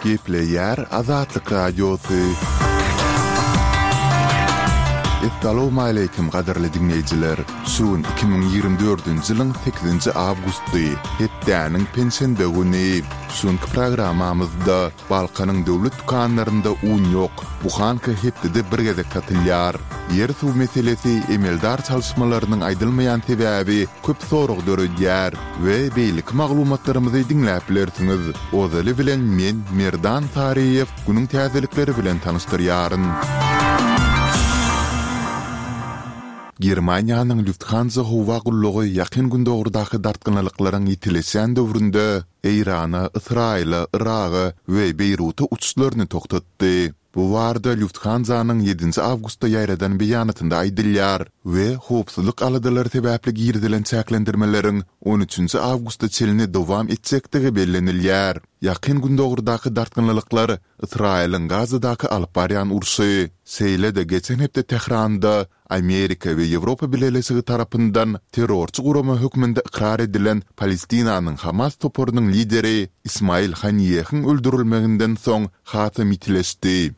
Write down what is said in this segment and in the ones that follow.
Gepleýär Azatlyk Radiosy. Essalawmaleýkim gadyrly diňleýjiler! Şu gün 2024-nji ýylyň sekizinji awgusty, hepdäniň penşenbe güni. Şu günki programmamyzda Balkanyň döwlet dükanlarynda un ýok, buhanka hepdede bir gezek satylýar. Ýer-suw meselesi emeldar çalyşmalarynyň aýdylmaýan sebäbi köp sorag döredýär we beýleki maglumatlarymyzy diňläp bilersiňiz. Ozaly bilen men Merdan Saryýew günüň täzelikleri bilen tanyşdyrýaryn. Germaniýanyň Lufthansa howa gullugy Ýakyn Gündogardaky dartgynlylyklaryň ýitileşýän döwründe Eýrana, Ysraýyla, Yraga we Beýruta uçuşlaryny togtatdy. Bu barada Lufthansa-nyň ýedinji awgustda ýaýradan beýanatynda aýdylýar we howpsuzlyk aladalary sebäpli girizilen çäklendirmeleriň on üçünji awgusta çenli dowam etjekdigi bellenilýär. Ýakyn Gündogardaky dartgynlylyklar Ysraýylyň Gazadaky alyp barýan urşy, şeýle-de geçen hepde Tähranda Amerika we Ýewropa Bileleşigi tarapyndan terrorçy gurama hökmünde ykrar edilen Palestinanyň Hamas toparynyň lideri Ismail Haniýehiň öldürilmeginden soň hasam ýitileşdi.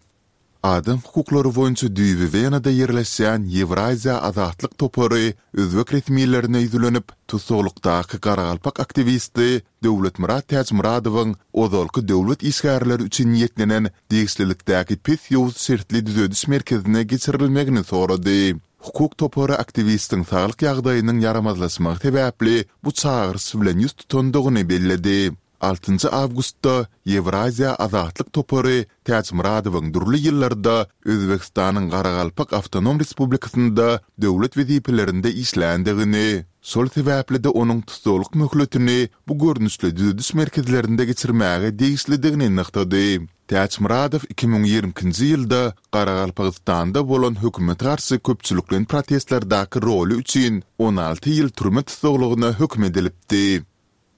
Adam hukuklary boýunça düýbi Wenada ýerleşýän Ýewraziýa azatlyk topary özbek resmilerine ýüzlenip, tussaglykdaky garagalpak aktiwisti Döwletmyrat Täçmyradowyň ozalky döwlet işgärleri üçin niýetlenen degişlilikdäki pes ýowuz şertli düzediş merkezine geçirilmegini sorady. Hukuk topary aktiwistiň saglyk ýagdaýynyň ýaramazlaşmagy sebäpli bu çagyryş bilen ýüz tutandygyny belledi. Altynjy awgustda Ýewraziýa azatlyk topary Täçmyradowyň dürli ýyllarda Özbegistanyň Garagalpak awtonom respublikasynda döwlet wezipelerinde işländigini, şol sebäpli-de onuň tussaglyk möhletini bu görnüşli düzediş merkezlerinde geçirmäge degişlidigini nygtady. Täçmyradow 2022-nji ýylda Garagalpagystanda bolan hökümete garşy köpçülikleýin protestlerdäki roly üçin 16 ýyl türme tussaglygyna höküm edilipdi.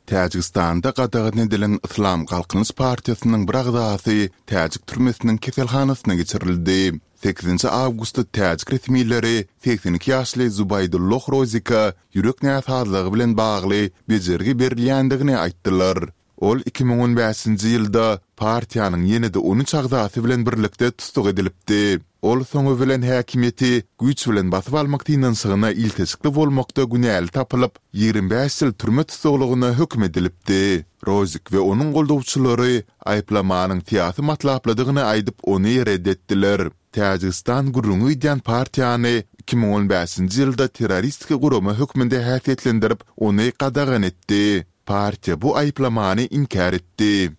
Täjigistanda gadagan edilen Yslam Galkynyş partiýasynyň bir agzasy täjik türmesiniň keselhanasyna geçirildi. Sekizinji awgustda täjik resmileri 82 ýaşly Zubaýdulloh Rozika ýürek näsazlygy bilen bagly bejergi berilýändigini aýtdylar. Ol 2015-nji ýylda partiýanyň ýene-de on üç agzasy bilen birlikde tussag edilipdi. Ol soňy bilen häkimiýeti güýç bilen basyp almak synanyşygyna ilteşikli bolmakda günäli tapylyp, 25 ýyl türme tussaglygyna höküm edilipdi. Rozik we onuň goldawçylary aýyplamanyň syýasy matlaplydygyny aýdyp, ony ret etdiler. Täjigistan gürrüňi gidýän partiýany 2015-nji ýylda terroristik gurama hökmünde häsiýetlendirip, ony gadagan etdi. Partiýa bu aýyplamany inkär etdi.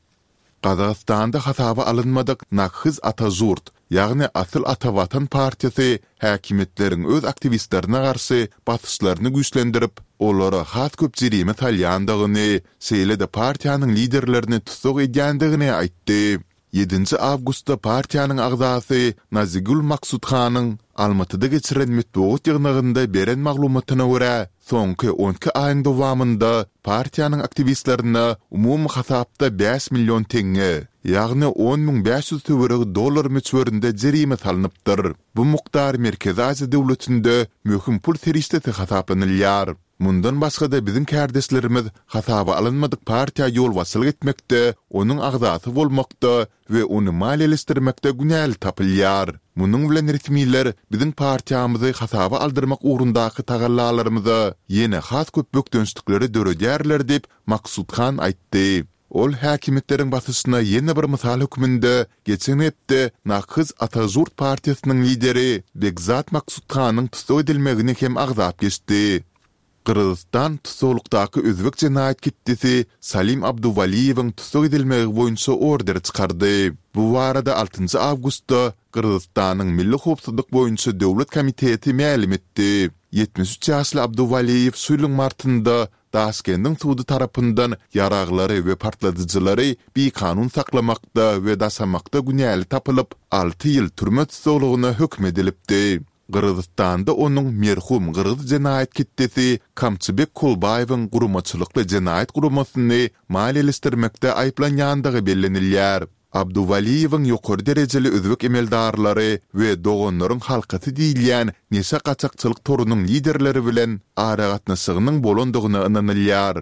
Gazagystanda hasaba alynmadyk Nakhyz Ata-Žurt, ýagny Asyl Ata Watan partiýasy häkimiýetleriň öz aktiwistlerine garşy basyşlaryny güýçlendirip, olara has köp jerime salýandygyny, şeýle-de partiýanyň liderlerini tussag edýändigini aýtdy. Ýedinji awgustda partiýanyň agzasy Nazigül Maksudhanyň Almatyda geçiren metbugat ýygnagynda beren maglumatyna görä, Soňky on iki aýyň dowamynda partiýanyň aktiwistlerine umumy hasapda bäş million teňňe, ýagny 10 500 töweregi dollar möçberinde jerime salnypdyr. Bu mukdar Merkezi Aziýa döwletinde möhüm pul serişdesi hasaplanylýar. Mundan başga-da biziň kärdeşlerimiz hasaba alynmadyk partiýa ýolbaşçylyk etmekde, onuň agzasy bolmakda we ony maliýeleşdirmekde günäli tapylýar. Munuň bilen resmiler biziň partiýamyzy hasaba aldyrmak ugrundaky tagallalarymyza ýene has köp bökdençlikleri döredýärler diýip, Maksudhan aýtdy. Ol häkimiýetleriň basyşyna ýene bir mysal hökmünde geçen hepde Nakhyz Ata-Žurt partiýasynyň lideri Begzat Maksudhanyň tussag edilmegini hem agzap geçdi. Gyrgyzystan tussaglykdaky özbek jenaýat ketdesi Salim Abduwaliýewiň tussag edilmegi boýunça order çykardy. Bu barada altynjy awgustda Gyrgyzystanyň Milli howpsuzlyk boýunça döwlet komiteti mälim etdi. 73 ýaşly Abduwaliýew şu ýylyň martynda Daşkendiň sudy tarapyndan ýaraglary we partladyjylary bikanun saklamakda we daşamakda günäli tapylyp, alty ýyl türme tussaglygyna höküm edilipdi. Gyrgyzystanda onuň merhum gyrgyz jenaýat ketdesi Kamçybek Kolbaýewiň guramaçylykly jenaýat guramasyny maliýeleşdirmekde aýyplanýandygy bellenilýär. Abduwaliýewiň ýokary derejeli özbek emeldarlary we Doganlaryň halkasy diýilýän neşe gaçakçylyk torunyň liderleri bilen aragatnaşygynyň bolandygyna ynanylýar.